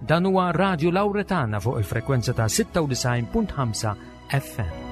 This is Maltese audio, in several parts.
Dan huwa Radio Lauretana fuq il-frekwenza ta' 96.5 FM.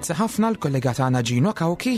Grazzi ħafna l-kollega tagħna Gino Kawki.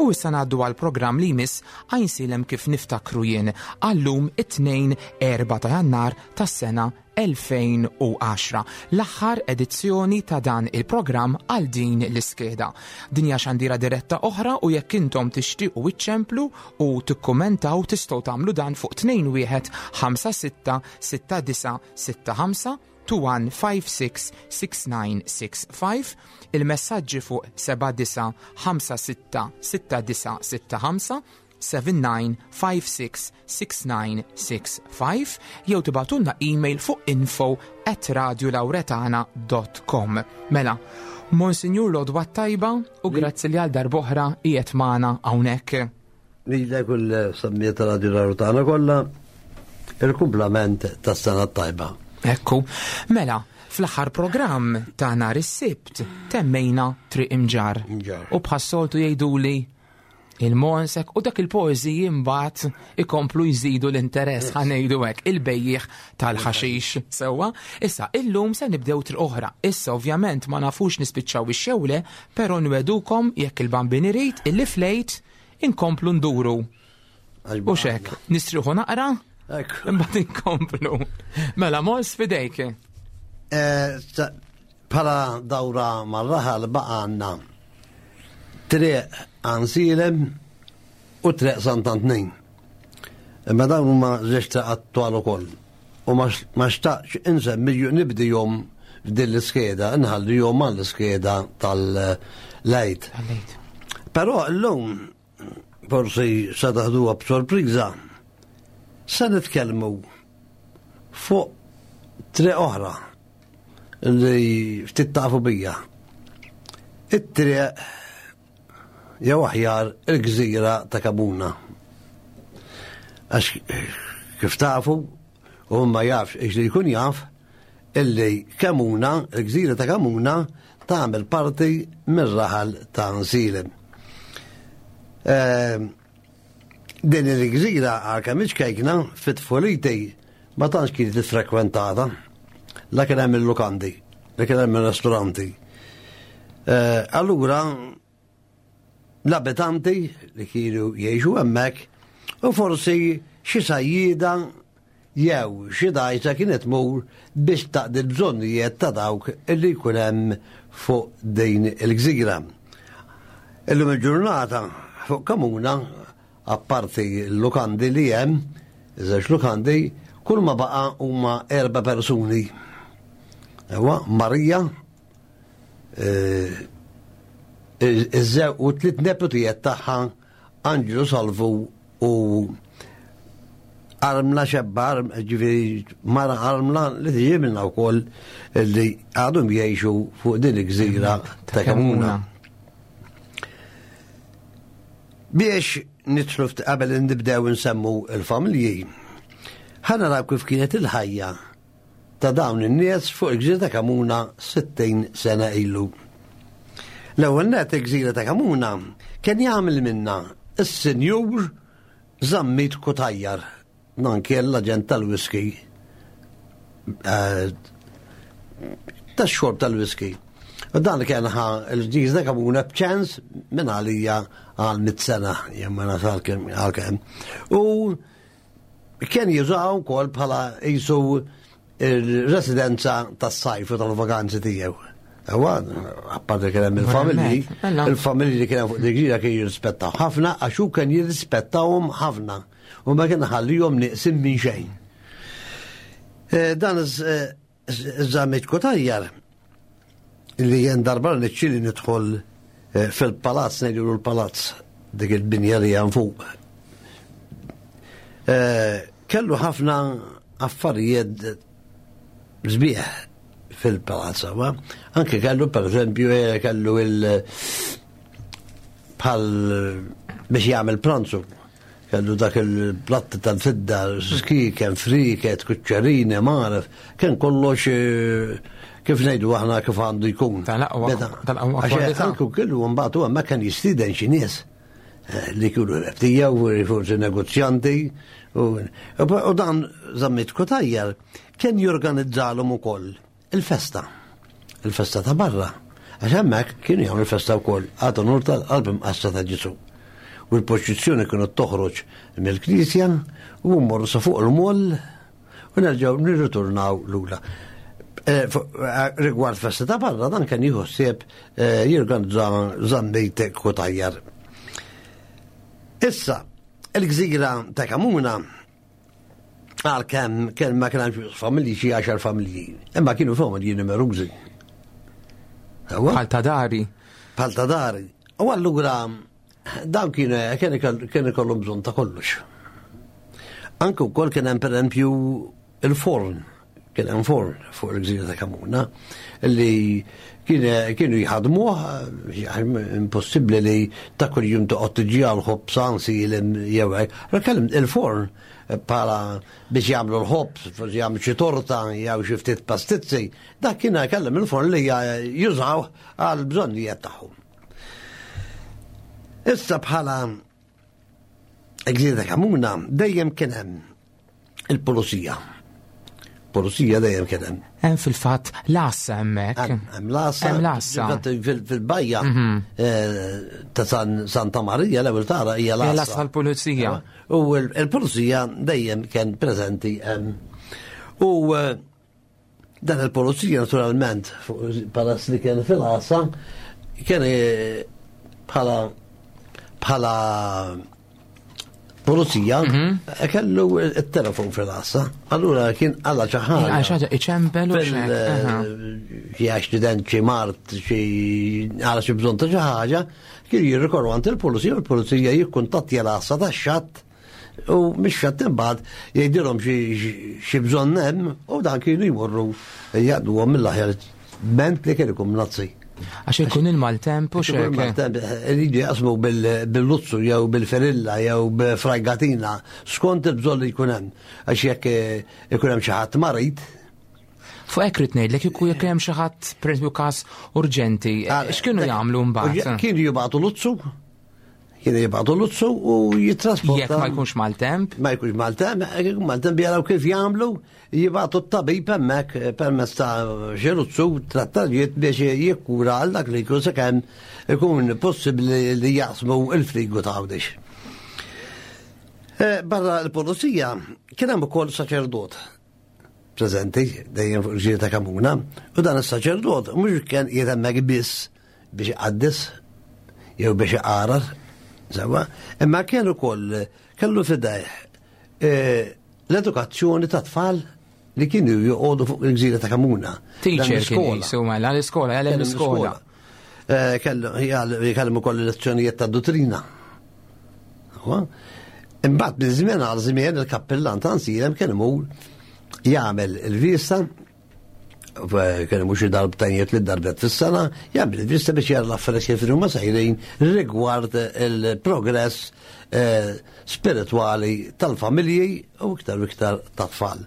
U issa ngħaddu għal programm li jmiss għajnsilem kif niftakru jien għallum it-tnejn 4 ta' Jannar tas-sena 2010, l-aħħar edizzjoni ta' dan il-programm għal din l-iskeda. Din hija xandira diretta oħra u jekk intom tixtiequ iċċemplu u tikkumentaw tistgħu tagħmlu dan fuq 21 56 69 65 2156 6965, il-messaġġi fuq 79 56 6965 79566965 jew tibatulna email fuq info at radiolauretana.com. Mela, Monsignor Lodwa Tajba u grazzi li għal darboħra qiegħed magħna hawnhekk. Lilek u l-sammijiet ta' Radio Laurtana kollha il-kumplament tas-sena tajba. Ekku, mela, fl-aħħar programm ta' nhar is-Sibt temmejna Triq Imġarr. U bħas-soltu jgħiduli il-monsek u dak il-poeżiji mbagħad ikomplu jżidu l-interess ħa ngħidu hekk il-bejjiegħ tal-ħaxix sewwa. Issa illum se nibdew triq oħra. Issa ovvjament ma nafux nispiċċaw ix-xewle, però nwedukom jekk il-Bambin irid illi flejt inkomplu nduru. U xek, nistriħu naqra, imbagħad inkomplu. Mela mons fidejk. Eh, bħala dawra mar-raħal baqa' għandna Triq Għansielem u Triq Sant'Antnin. Imma dawn huma żewġ triqat twal ukoll. U ma xtaqx insemmi nibdihom f'din l-iskeda, nħallihom għall-iskeda tal-Għid. Però llum forsi se taħduha b'sorpriża, se nitkellmu fuq triq oħra li ftit tafu bija. It-triq jew aħjar il-gżira ta' Kamuna. Għax kif tafu, u ma jafx ix li jkun jaf, illi Kamuna, il-gżira ta' Kamuna, tagħmel parti mir-raħal ta' Nsilem. Ehm, din il-gżira għalkemm iċkejkna fit-tfuliti ma tantx kienet iffrekwentata. La kien hemm il-lukandi, la kien hemm il-ristoranti. Eh, allura l-abitanti li kienu jgħixu hemmhekk u forsi xi sajjieda jew xi dgħajsa kienet tmur biex taqdi l-bżonnijiet ta' dawk li jkun hemm fuq din il-gżira. Illum il-ġurnata fuq Kamuna, apparti l-lukandi li hemm, żewġ lukandi, kull ma baqa' huma erba' persuni. Ewa, Marija, eh, iż-żew u tliet neputijiet tagħha Anġlu Salvu u armla xebba, ġifieri mara armla li tiġi minna wkoll li għadhom jgħixu fuq din il-gżira ta' Kamuna. Biex nidħlu qabel nibdew nsemmu il-familji, ħa naraw kif kienet il-ħajja ta' dawn in-nies fuq il-Gżira ta' Kamuna 60 sena ilu. L-ewwel net il-Gżira ta' Kamuna kien jagħmel minna s-Sinjur Zammit Kutajjar, dan kien l-aġent tal-whisky eh, tax-xorb tal-whisky. U dan kien ħa l-ġiżda kamuna b'ċens minn għalija għal mit-sena, jew ma nafx għal kemm. U kien jużaw ukoll bħala jisu il-residenza tas-sajf u tal-vakanzi tiegħu. Ewa, apparti kien hemm il-familji, Mela. il-familji li kien hemm fuq dik kien jirrispettaw ħafna għax hu kien jirrispettawhom ħafna u ma kien ħallihom nieqsin minn xejn. Dan iż-Zammit Cutajar li jen darba niċċili nidħol fil-palazz, ngħidu l-palazz dik il-binja li hemm fuq. Kellu ħafna affarijiet sbieħ fil-palazz, ma? Anke kellu per eżempju kellu il bħal biex jagħmel pranzu. Kellu dak il-platti tal-fidda, skiken, friket, kuċċerini, maref, kien kollox kif ngħidu aħna kif għandu jkun. Tal-aqwa Għax kwalità. anke kellu mbagħad huwa ma kien jistieden xi nies li kienu rebtija u forsi negozjanti u dan Zammit Cutajar kien jorganizzalhom ukoll il-festa. Il-festa ta' barra. Għax hemmhekk kienu jagħmlu il-festa wkoll għad onur tal-qalb imqassha ta' Ġesu. U l-poċizzjoni kienu toħroġ mill-knisja u mmorru sa fuq il-moll u nerġgħu nirritornaw lura. Rigward festa ta' barra dan kien jieħu ħsieb jorganizza Zammit Cutajar. Issa, il-gżira ta' Kamuna għal kemm kien ma kien hemmx familji xi 10 familji, imma kienu familji numerużi. Ewa? Bħal ta' dari. Bħal ta' dari. U allura dawn kien ikollhom bżonn ta' kollox. Anke wkoll kien hemm pereżempju il-forn, kien hemm forn fuq il-gżira ta' Kamuna li kienu jħadmuh, impossibbli li ta' kuljum toqgħod tiġi għal ħobż ansi jew hekk. Kellem il-forn bħala biex jagħmlu l-ħobż, forsi jagħmlu xi torta jew xi ftit pastizzi, dak kien kellem il-forn li jużaw għal bżonnijiet tagħhom. Issa bħala gżira ta' Kamuna dejjem kien hemm il-pulizija. Pulizija dejjem kien hemm. Hemm fil-fatt l-għassa hemmhekk. Hemm l-għassa. Hemm l-għassa. Fil-bajja ta' Santa Marija l-ewwel tara hija l-għassa. Hija l-għassa tal-pulizija. U l-pulizija dejjem kien preżenti hemm. U dan il-pulizija naturalment palazz li kien fil-għassa kien bħala pulizija, kellu il-telefon fil-għassa. Allura kien għalla xi ħaġa. Għal xi ħaġa iċempel u xek, aha. Xi accident, xi mart, xi għala xi bżonn ta' xi ħaġa, kien jirrikorru għand il-pulizija, u l-pulizija jikkuntattja l-għassa tax-xatt u mix-xatt imbagħad jgħidilhom xi bżonn hemm u dan kienu jmorru jaqduhom mill-aħjar ment li kien ikun mnazzi. Għax ikun il-maltemp u Ikun xek. il-maltemp, iridu jaqsmu bil-luzzu jew bil-ferilla jew b'frajgatina skont il-bżonn li jkun hemm. Għax jekk ikun hemm xi ħadd marid. Fuq hekk rid ngħidlek jekk jekk hemm xi ħadd pereżempju każ urġenti, x'kienu jagħmlu mbagħad? Kienu jibgħatu luzzu. Kienu jibgħatu luzzu u jittrasporta. Jekk ma jkunx maltemp? Ma jkunx maltemp, jekk ikun maltemp jaraw kif jagħmlu, jibgħatu t-tabib hemmhekk permezz ta' xi luzzu trattarijiet biex jikkura għal dak li jkun sakemm ikun possibbli li jaqsmu il-frigu ta' Għawdex. Barra l-pulizija kien hemm ukoll saċerdot preżenti dejjem fuq il-ġiri ta' Kamuna, u dan is-saċerdot mhux kien qiegħed hemmhekk biss biex iqaddes jew biex iqarar, sewwa, imma kien ukoll kellu fidejh l-edukazzjoni ta' tfal li kienu joqogħdu fuq il-gżira ta' Kamuna. Teacher Dan kien l-iskola. jisu, mela, l-iskola, jgħallem Kellu l-iskola. l-iskola. Kellu, jgħallem ukoll lezzjonijiet ta' dottrina. Huwa. Imbagħad minn żmien għal żmien il-kappillan ta' Għajnsielem kien imur jagħmel il-vista, kien imur xi darbtejn jew tliet darbiet fis-sena, jagħmel il-vista biex jara l-affarijiet kif huma sejrin rigward il-progress spiritwali tal-familji u iktar u iktar tat-tfal.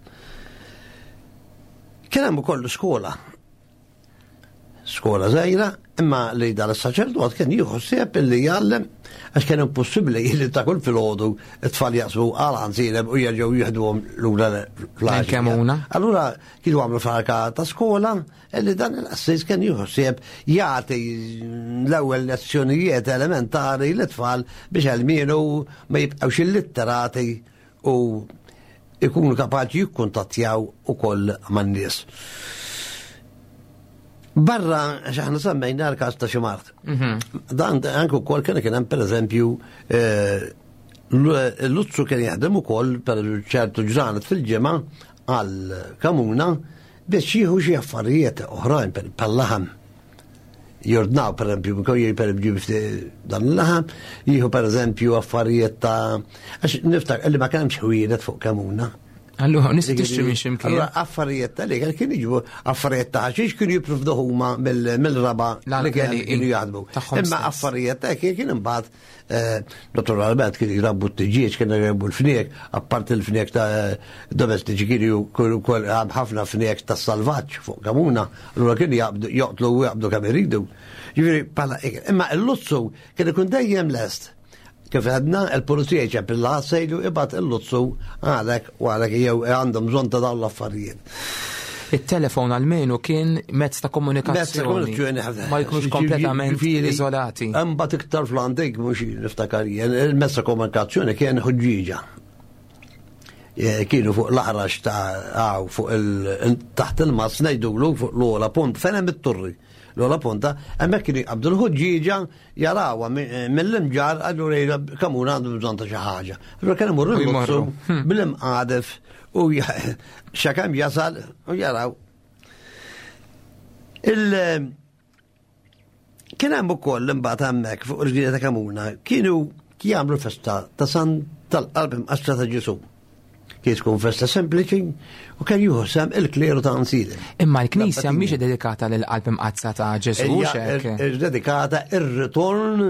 Kien hemm ukoll skola. Skola żgħira, imma li dan is-saċerdot kien jieħu ħsieb illi jgħallem għax kien impossibbli li ta' kull filgħodu t-tfal jaqsmu għal għanżilem u jerġgħu jieħduhom lura fl Allura kienu għamlu farka ta' skola illi dan il-qassis kien jieħu ħsieb jagħti l-ewwel lezzjonijiet elementari l-tfal biex għalmienu ma jibqgħux illitterati u ikunu kapaċi jikkuntattjaw ukoll man-nies. Barra, xaħna semmejna l-każ ta' xi mart. Dan anke wkoll kien kien hemm pereżempju eh, l-Luzzu kien jaħdem ukoll per ċertu ġranet fil-ġimgħa għal kamuna biex jieħu xi affarijiet oħrajn pal-laħam. Jordnaw per eżempju, per eżempju dan il-laħam, jieħu per eżempju affarijiet ta' għax niftak li ma kienx ħwienet fuq kamuna. Allura, nista' tixtri minn x'imkien. Allura affarijiet ta' li kien jiġu affarijiet ta' ħaxix kienu jipprovdu huma mill-raba li kienu jaħdmu. Imma affarijiet ta' kien imbagħad eh, naturalment kienu jrabbu t-tiġieġ, kienu jrabbu l-fniek, apparti l-fniek ta' domestiċi kienu wkoll ħafna fniek ta' salvaġġ fuq kamuna, allura kienu joqtlu u jaqbdu kemm iridu. Ġifieri bħala imma l-luzzu kien ikun dejjem lest. Kif għedna, il-pulizija jċempilla sejlu ibgħat il-luzzu għalek u għalek jew għandhom bżonn ta' dawn l-affarijiet. Il-telefon għalmenu kien mezz ta' komunikazzjoni. Ma jkunux kompletament iżolati. Imbagħad iktar fl-antik mhux niftakar jien, il-mezz ta' komunikazzjoni kien ħuġġieġa. Eh, kienu fuq l-aħrax ta' għaw fuq il taħt il-mazz ngħidulu fuq l-ogħla punt fejn hemm it-turri. L-ogħla punta, hemmhekk kienu jqabdu l-ħuġġieġa jarawha mill-imġar allura jgħidu kemm hu għandu bżonn ta' xi ħaġa. Allura kien imur il-luzzu hmm. bil-imqadef u xakemm jasal u jaraw. Il kien hemm ukoll imbagħad hemmhekk fuq il-ġrieda ta' Kamuna kienu jagħmlu festa ta' San tal-Qalb Imqassra ta' Ġesu. Kien tkun festa sempliċi u kien jieħu sem il-kleru ta' Anzile. Imma l-Knisja mhix dedikata lil qalb imqaddsa ta' Ġesu xek. Dedikata ir-ritorn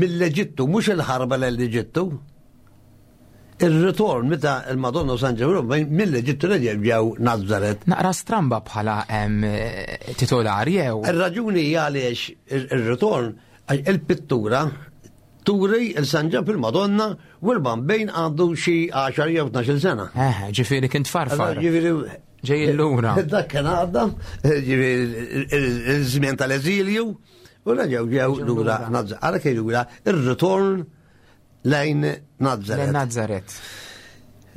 mill-Eġittu, mhux il-ħarba l-Eġittu. Ir-ritorn meta il-Madonna San Ġewru mill-Eġittu li ġew Nazaret. Naqra stramba bħala titolari jew. Ir-raġuni hija għaliex ir-ritorn il-pittura Turi il-San Ġann fil-Madonna u l-Bambin għandu xi 10 jew 12 sena. Eh, ġifieri kien tfarfar. Ġifieri ġej lura. Dak kien għadda, ġifieri il-żmien tal-eżilju, u reġgħu ġew lura Nazaret. Għalhekk jgħidula ir-ritorn lejn Nazaret. Lejn Nazaret.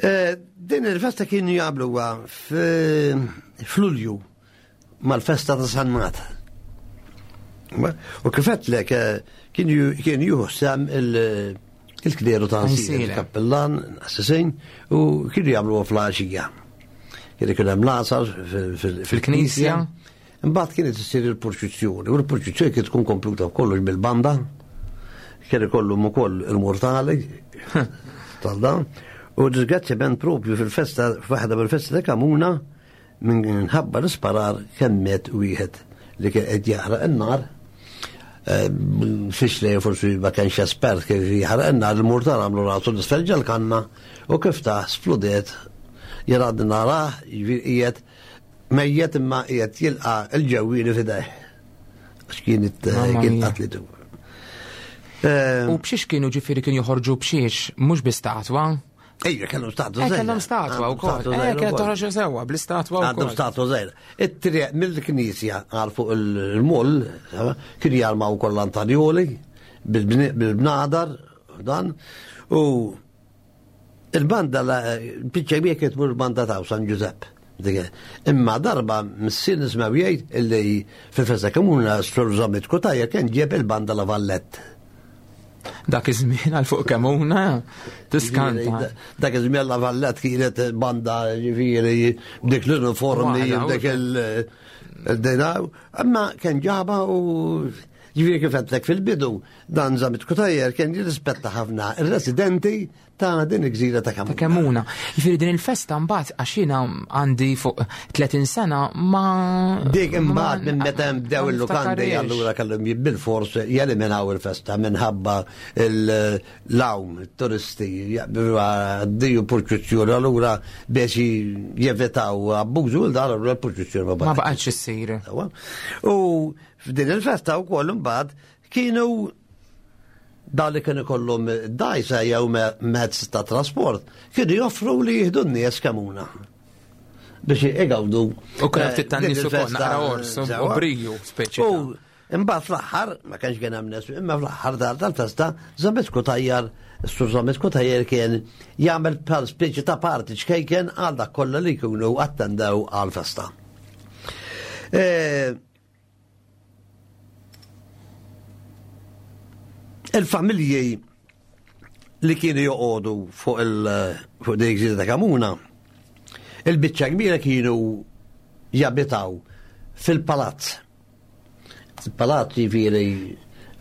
Eh, din il-festa kienu jagħmluha f'Lulju. mal-festa ta' San Mat. U kif għedtlek eh, kien juhu sem il-kleru ta' il-kappellan, assassin, u kienu jagħmlu fl-għaxija. Kien ikun hemm l-għasar fil-knisja. Imbagħad kienet issir il-purċizzjoni, u l-purċizzjoni kienet tkun kompluta kollox bil-banda, kien ikollhom ukoll il-mortali tal-dan, u disgrazzjament propju fil-festa, f'waħda mill-festa ta' Kamuna, Minħabba l-isparar kemm miet wieħed li kien qed jaħraq in-nar, eh, fix li forsi ma kienx espert kif jaħraq in-nar, il-murtar għamlu rasu l-isfel ġal-kanna u kif ta' spludiet jien għadni narah jiġifieri qiegħed mejjet imma qiegħed jilqa' il-ġewwieni f'idejh. Għax kienet eh, kien qatlitu. Eh, u b'xiex kienu ġifieri kienu joħorġu b'xiex, mhux bi statwa? Ejja, kellhom statwa eh, żgħira. Kellhom statwa wkoll. Eh, kienet toħroġ sewwa bl-istatwa wkoll. Għandhom statwa żgħira. It-triq mill-knisja għal fuq il-mull, kien jarmaw ukoll l-antanjoli bil-bnadar dan u il-banda biċċa kbira kienet tmur banda ta' San Ġużepp. Imma darba missier nismgħu jgħid illi fil-festa komuna Sur Zammit Kutajja kien ġieb il-banda La Vallette. Dak iż-żmien għal fuq kemuna tiskanta. Dak iż-żmien La Vallette kienet banda ġifieri b'dik l-uniformi, b'dik il-dina. Imma kien ġaba u ġifieri kif għedtlek fil-bidu dan Zammit Kutajjer kien jirrispetta ħafna ir-residenti. ta' din il-gżira ta' Ta' Kemuna. Kemmuna. Jiġifieri din il-festa mbagħad għax jiena għandi fuq 30 sena ma Dik ma- imbagħad minn meta bdew ma il-lukandi niftakarhiex. allura kellhom bil-fors jeliminaw il-festa minħabba l-lawm, it-turisti għaddiju purċuzzjoni allura biex jevitaw abbużu l dar allura l-purċuzzjoni ma Ma baqgħetx. baqgħetx issir. Sewwa. U f'din il-festa wkoll imbagħad kienu dal li kienu kollhom dajsa jew mezz ta' trasport kienu joffru li jieħdu n-nies Kemuna biex igawdu. U kien hemm ftit tan-nies din ukoll, il-festa, naqra ors, u sewwa. briju, speċi U imbagħad fl-aħħar ma kienx kien hemm nies, imma fl-aħħar tal-festa Zammit Kutajjar, s-sur Zammit Kutajjar kien jagħmel bħal speċi ta' parti ċkejken għal dak kollha li jkunu attendew għall-festa. Il-familji li kienu joqogħdu fuq il fuq dik gżira ta' Kamuna, il-biċċa kbira kienu jabitaw fil-palazz. Il-palazz jiġifieri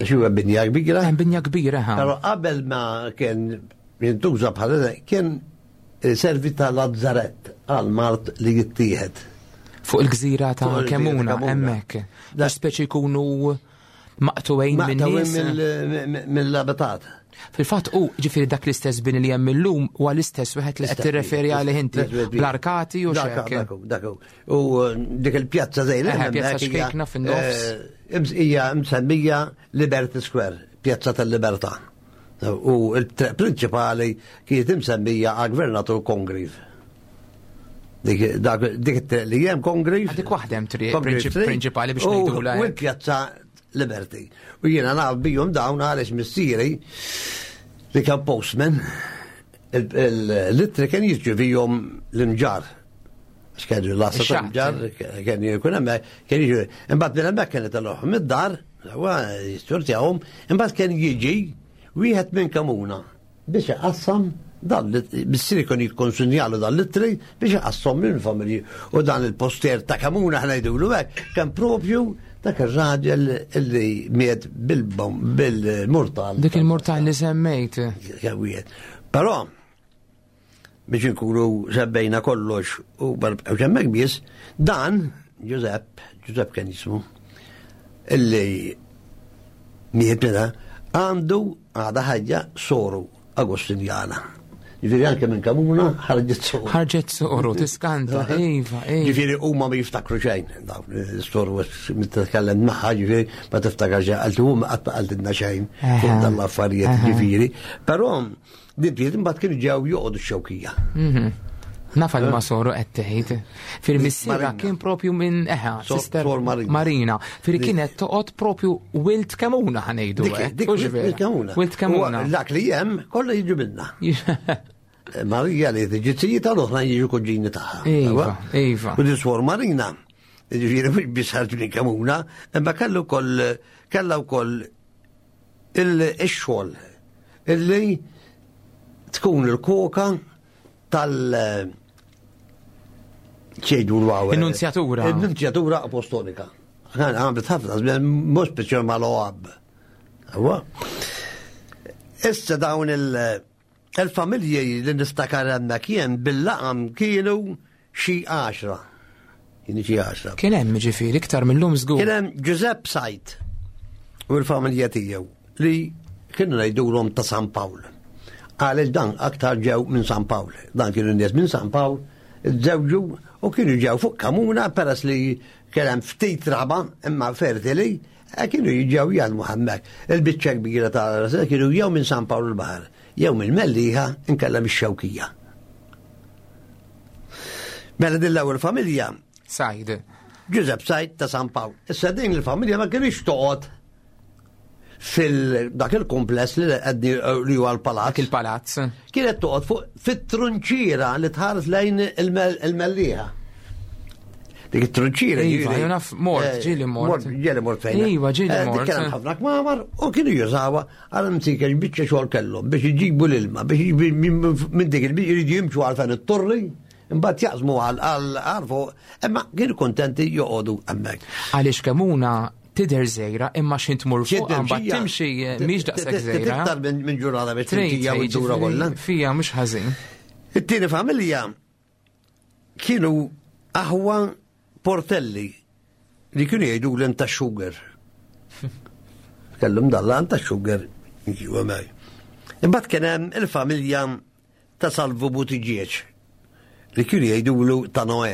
xi huwa binja kbira. Hemm binja kbira ha. Però qabel ma kien jintuża bħala kien servi ta' lazzarett għal mart li jittieħed. Fuq il-gżira ta' Fuq il-gżira ta' Kemmuna Kemmuna. hemmhekk. Biex speċi jkunu maqtuwejn minn Maqtawin nies. mill-abitat. Fil-fatt u ġifieri dak l-istess bini li hemm illum huwa l-istess wieħed li qed tirreferi għalih inti bl-arkati u Dak, xek. dak, dak. U dik il-pjazza zejna. Eħe, pjazza xkejkna fin-nofs. Hija msemmija Liberty Square, pjazza tal-Libertà. U il-triq prinċipali kienet imsemmija għal gvernatur Congreve. Dik dak- dik it-triq li hemm Congreve. Dik waħda hemm triq Congreve Street. prinċipali biex U- ngħidulha U hekk. l-pjazza Liberty. U jiena naf bijom dawn għaliex missieri li kien postman, l-ittri kien jirċevihom l-imġar. Għax kienu l-lassa Ix-xatt. tal-imġar, kien jkun hemmhekk, kien jiġu. Imbagħad minn hemmhekk kien itelluhom id-dar, huwa jisturtjahom, imbagħad kien jiġi wieħed minn Kamuna biex iqassam dan missieri kien jikkonsinjalu dan l-ittri biex iqassam minn familji. U dan il-poster ta' Kamuna ħna jgħidulu hekk kien propju dak ir-raġel illi miet bil-bom bil-murtal. Dik il-murtal li semmejt. Kien wieħed. Però biex inkunu sebbejna kollox u barbqgħu hemmhekk biss, dan Giuseppe, Giuseppe kien jismu, illi miet minna, għandu għada ħajja soru Agostinjana. Ġifieri anke minn Kamuna ħarġet soru. Ħarġet soru, tiskanta, iva, iva. Ġifieri huma ma jiftakru xejn, dawn is-soru meta tkellem magħha, ġifieri ma tiftakar xejn, qaltu huma qatt ma qaltilna xejn fuq Aha. dan l-affarijiet Aha. ġifieri. Però din bdiet imbagħad kienu ġew joqogħdu x-xewkija. Nafa li ma soru qed tgħid. Fir missierha Marina. kien propju minn eħa, sister Sor Marina. Marina. Fir kienet toqgħod propju wilt Kemuna ħanejdu. Dik hekk, dik hux vera? wilt Kemuna. Wilt Kemuna. U Dak li hemm kollha jiġu minna. Marija li tiġi tija l-oħra jiġu kuġini tagħha. Iva, iva. U di Swor Marina, ġifieri mhux biss ħarġu minn Kemuna, imma kellu wkoll kellha wkoll il-xogħol illi tkun il-koka tal ċejdu l-għaw. Il-nunzjatura. Il-nunzjatura apostolika. Għamlet ħafna, żmien, mhux speċjal mal-OAB. Huwa. Issa dawn il-familji li niftakar hemmhekk jien bil-laqam kienu xi 10. Kienu xi 10. Kien hemm ġifieri iktar mill-lum żgur. Kien hemm Giuseppe Sajt u l-familja tiegħu li kienu ngħidulhom ta' San Pawl. Għaliex dan aktar ġew minn San Pawl. Dan kienu nies minn San Pawl, żewġu u kienu ġew fuq Kamuna peress li kien hemm ftit raba imma fertili kienu jiġew jgħalmu hemmhekk. Il-biċċa kbira ta' kienu jew minn San Pawl il-Baħar, jew minn Mellieħa inkella mix-Xewkija. Mela din l-ewwel familja Sajd. Giuseppe Sajd ta' San Pawl. Issa din il-familja ma kienx toqgħod fil dak il-kompless li qed li huwa l-palazz. Dak il-palazz. Kienet toqgħod fuq fit-trunċiera li tħares lejn il-Mellieħa. Dik it-trunċiera. Iva, jiġifieri, jien naf mort, ġieli mort. Ġieli mort fejn. Iva, ġieli Dik mort. kien hemm ħafna kmamar u kienu jużawha għal msiken biċċa xogħol kellhom biex iġibu l-ilma, biex iġibu minn dik il-biċċa jridu jimxu għal fejn it-torri, imbagħad jaqsmu għal għal fuq, imma kienu kontenti joqogħdu hemmhekk. Għaliex Kemuna Tidher żgħira imma x'ħin tmur fuq mbagħad timxi eh, mhix daqshekk żgħira. Iktar minn ġurnata biex timxija u ddura kollha. Fija mhux ħażin. It-tieni familja kienu aħwa Portelli li kienu jgħidu l ta' sugar. Kellhom dalla ta' sugar ġiwa mej. Imbagħad kien hemm il-familja ta' Salvu Buttigieg li kienu jgħidulu ta' Noè.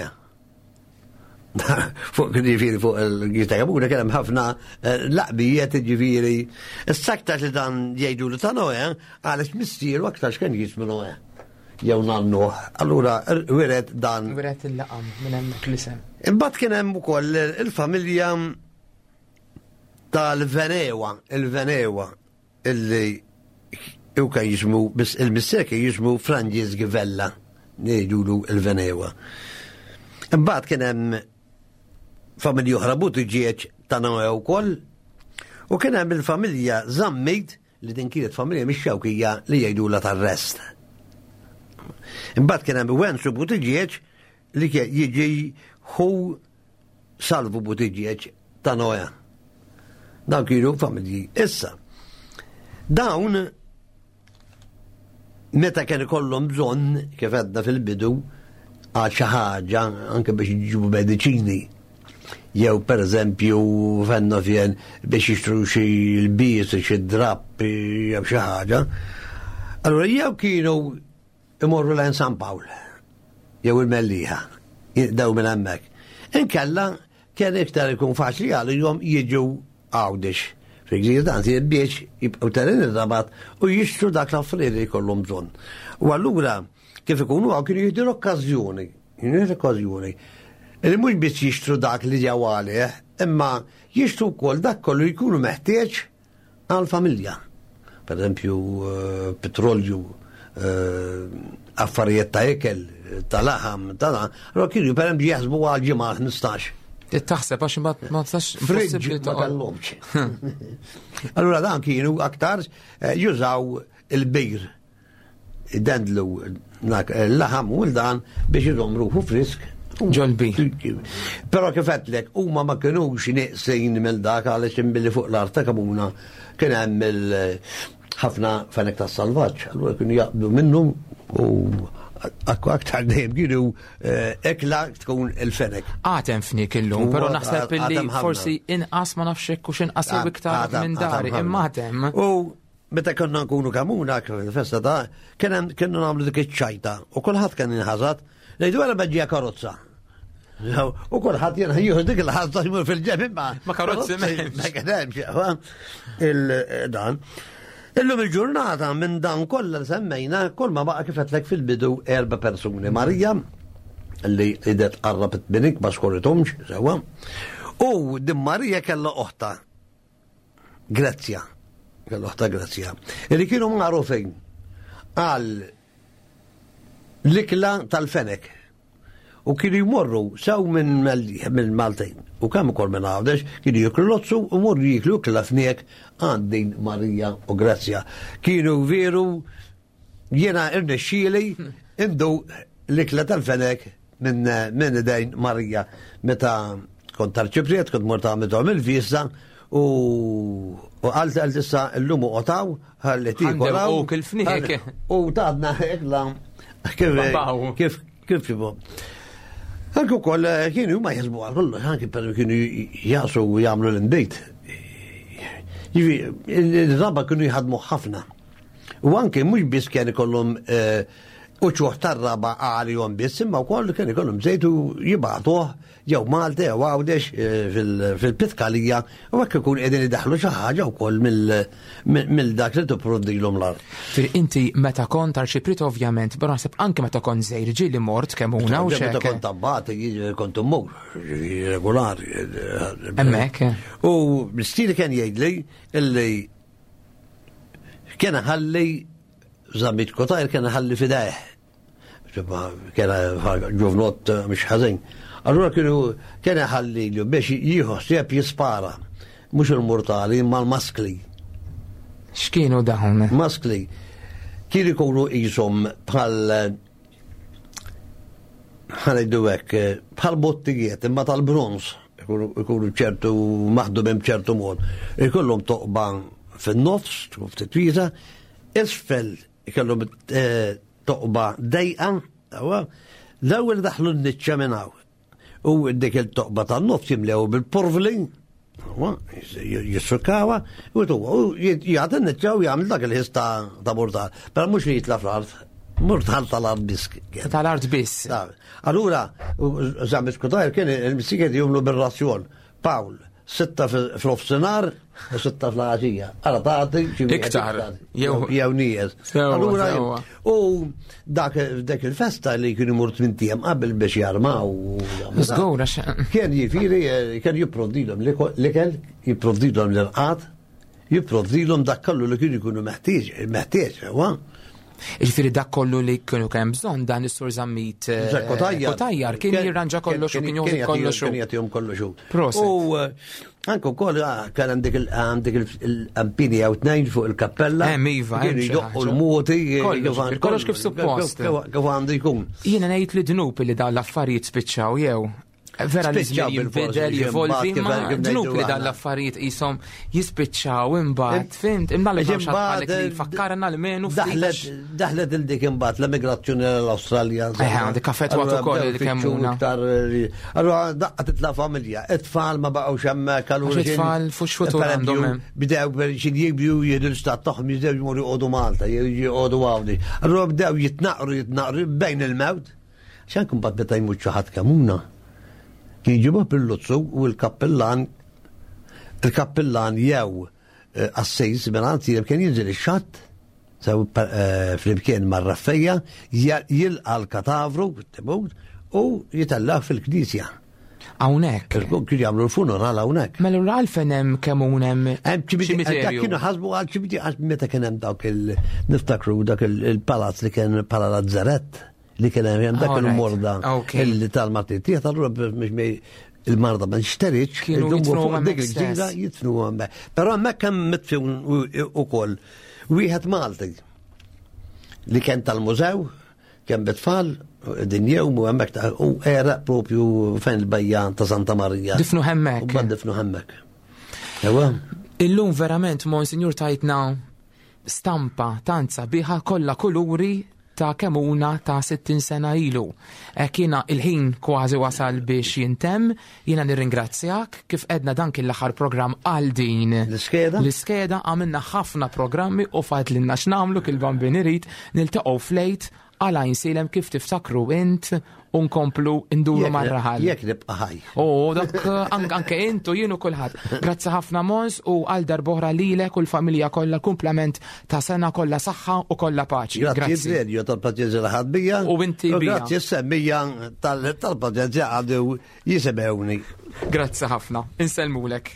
fuq ġifieri fuq il-gita Kamuna kien hemm ħafna eh, laqbijiet ġifieri. Issa aktar li dan jgħidulu ta' Noè għaliex missieru aktar kien jismu Noè. Jew nannu. Allura wiret dan. Wiret il-laqam minn hemmhekk l-isem. Imbagħad kien hemm ukoll il-familja tal-Venewa, il-Venewa. Illi u kien jismu, il-missier kien jismu Franġis Givella, ngħidulu il-Venewa. Imbagħad kien hemm familji oħra Buttigieg ta' Noè wkoll, u kien hemm il-familja Zammit li din kienet familja mix-Xewkija li jgħidulha tar-rest. Imbagħad kien hemm Wenzu Buttigieg li jiġi hu Salvu Buttigieg ta' Noè. Dawn kienu familji. Issa, dawn meta kien ikollhom bżonn, kif għedna fil-bidu, għal xi ħaġa anke biex jġibu mediċini, jew per eżempju fenna fjen biex jixtru xi l-bies, xi drapp, jew xi ħaġa. Allura jew kienu imorru lejn San Pawl jew il-Mellieħa, jinqdew minn hemmhekk. Inkella kien iktar ikun faċli għalihom jiġu Għawdex fil-Gżira ta' biex jibqgħu telgħin ir-Rabat u jixtru dak l-affarijiet li jkollhom bżonn. U allura kif ikunu hawn kienu jieħdu l-okkażjoni, jieħdu l-okkażjoni li mhux biss jixtru dak li ġew għalih, imma jixtru wkoll dak kollu jkunu meħtieġ għall-familja. Per eżempju, eh, petrolju, eh, affarijiet ta' ikel, ta' laħam, ta' dan, allora kienu per eżempju jaħsbu għal ġimgħa 15. Taħseb għax ma tistax Fridge ma kellhomx. Allura dan kienu aktar eh, jużaw il-bir dendlu l-laħam u l-dan biex iżomm ruħu frisk. Ġolbi. Però kif għedtlek, huma ma kinux nieqsin mill dak għaliex imbilli fuq l-art ta' Kamuna kien hemm ħafna fenek ta' salvaġġ, allura kienu jaqbdu minnu u aktar dejjem kienu eh, ekla tkun il-fenek. Għatem fnik illum, però naħseb illi forsi inqas ma nafx hekk u x'inqas jew iktar minn dari, imma għatem. U Meta konna nkunu kamuna, festa ta' kien kienu nagħmlu dik iċ-ċajta u kulħadd kien inħasad, ngħidu għara beġġija karozza. U kulħadd jien jieħu dik il-ħasda jmur fil-ġeb imma. Ma karozzi ma kien hemmx il-dan. Illum il-ġurnata minn dan kollha li semmejna, kull ma baqa' kif għedtlek fil-bidu erba' persuni. Marija, li idet qarrabet minik ma skorritumx, sewwa. U din Marija kellha oħta Grezzja, l-oħta Grezzja, li kienu magħrufin għal l-ikla tal-fenek. U kienu jmorru sew minn minn Maltin u kemm ukoll minn Għawdex kienu jiklu lozzu u morru jiklu ikla fniek għand din Marija u Grezzja. Kienu veru Jiena irnexxieli indu l-ikla tal-fenek minn min idejn Marija meta kont tarċipriet, kont mort għamilthom il-visa u għalt għalt issa l-lum u qotaw, ħalli tikolaw. U kil-fniek. U tadna ikla kif kif kif kif Anke wkoll eh, kienu ma jaħsbu għal kollox, anke per kienu jasu u jagħmlu l-inbejt. Jiġifieri, il-raba kienu jħadmu ħafna. U anke mhux biss kien ikollhom eh, uċuħ tar-raba għalihom biss, imma wkoll kien ikollhom żejt u jibgħatuh jew Malta jew Għawdex eh, fil-Pitkalija u hekk ikun qegħdin idaħlu xi ħaġa wkoll mill dak li tipprovdilhom l-art. Fir inti meta kont arċiprit ovvjament, però naħseb anke meta kont żejr ġieli mort kemm una u Meta kont abbati kont immur regolari. Hemmhekk. U mistieri kien jgħidli illi Kien ħalli Zammit Kotajr kien ħalli fidejh. Kien ġuvnot eh, mhux ħażin. Allura kienu kien ħalli li biex jieħu ħsieb jispara. Mhux il-mortali imma l-maskli. X'kienu dawn? Maskli. Kienu jkunu qishom bħal ħanejdu hekk, bħal bottijiet imma tal-bronz. Ikunu ċertu maħdumin b'ċertu mod. Ikollhom toqba fin-nofs, tkun ftit wiesa, isfel ikollhom eh, toqba dejqa, l-ewwel daħlu n-niċċa minn hawn. U dik il-toqba tan-nofs jimlew bil-porvli, jissukawa, u tu, jgħat n-niċċa u jgħamil dak il-ħis ta' mortal. Pero mux li jitla fl-art, mortal tal-art biss. Tal-art biss. Allura, Zammit Kutajr kien il-missikiet jumlu bil-razzjon. Pawl, Sitta fl-ofsinar u sitta fl-għaxija. Għara tagħti xi iktar. Jew nies. Allura u dak dak il-festa li kienu mur tmintiem qabel biex jarmaw. Żgur għax. Kien jifieri kien jipprovdilhom l-ikel, jipprovdilhom l-irqad, jipprovdilhom dak kollu li kienu jkunu meħtieġ, meħtieġ, Ġifieri dak kollu li kienu kemm bżonn dan is-sur Zammit eh, Kotajjar kien jirranġa kollox u kien joħdi kollox. Kien jagħtihom kollox. Proset. U eh, anke wkoll ah, kien għandek il-ampini jew tnejn fuq il-kappella. Hemm iva, hemm jdoqqu l-moti. Eh, kollox kif suppost. Kif għandu jkun. Jiena ngħid li dnub li dawn l-affarijiet spiċċaw jew Vera li żmien jinbidel, jivolvi, ma dnub li dan l-affarijiet qishom jispiċċaw imbagħad, fimt, imma li bħalek li fakkarna li menu Daħlet daħlet il dik imbagħad l-emigrazzjoni l-Awstralja. Eh, dik affettwat ukoll li kemmuna. Allura daqqa titla' familja, it-tfal ma baqgħux hemmhekk allura. It-tfal fux futur għandhom. Bdew xi jibju jieħdu l-istat tagħhom jibdew jmorru jqogħdu Malta, jqogħdu Għawdex. Allura bdew jitnaqru jitnaqru bejn il-mewt. X'anke mbagħad meta jmut xi ħadd Kemuna, kien jġibuh bil-luzzu u l-kappillan il-kappillan jew eh, assis minn kien jinżel ix-xatt sew eh, flimkien mar-raffejja jilqa' l-katavru tibut u jitellah fil-knisja. Hawnhekk. Kien jagħmlu l-funeral hawnhekk. Mela l għalfejn hemm kemm hemm Hemm ċimiterju. Kienu ħasbu għal ċimiterju għax meta kien hemm dawk il-niftakru dak il-palazz li kien bħala lazzarett li kien hemm dak il-morda illi tal-Martin Tiegħek allura biex il-marda ma nxteriċ, kienu fuq dik il-ġdida jitfnu hemmhekk. Però hemmhekk hemm mitfun ukoll wieħed Malti li kien tal-mużew, kien bitfall, din jew u hemmhekk u era propju fejn il-bajja ta' Santa Marija. Difnu hemmhekk. U difnu hemmhekk. Ewa. Illum verament, Monsignor tajtna stampa tant sabiħa kollha kuluri ta' Kemuna ta' 60 sena ilu. Hekk jiena il-ħin kważi wasal biex jintemm, jiena nirringrazzjak kif edna dan kien l-aħħar programm għal din. L-iskeda? L-iskeda għamilna ħafna programmi u fadlilna x'nagħmlu kil bambin irid niltaqgħu flejt għal Għajnsielem kif tiftakru int u nkomplu nduru mar-raħal. Jekk nibqa' ħaj. U dak anke int u jien u kulħadd. Grazzi ħafna Mons u għal darb'oħra lilek u l-familja kollha kumplament ta' sena kollha saħħa u kollha paċi. Grazzi radio tal-paċenzja li ħadd bija. U inti bija. Grazzi semmija tal-paċenzja għadu jisimgħuni. Grazzi ħafna. Insellmulek.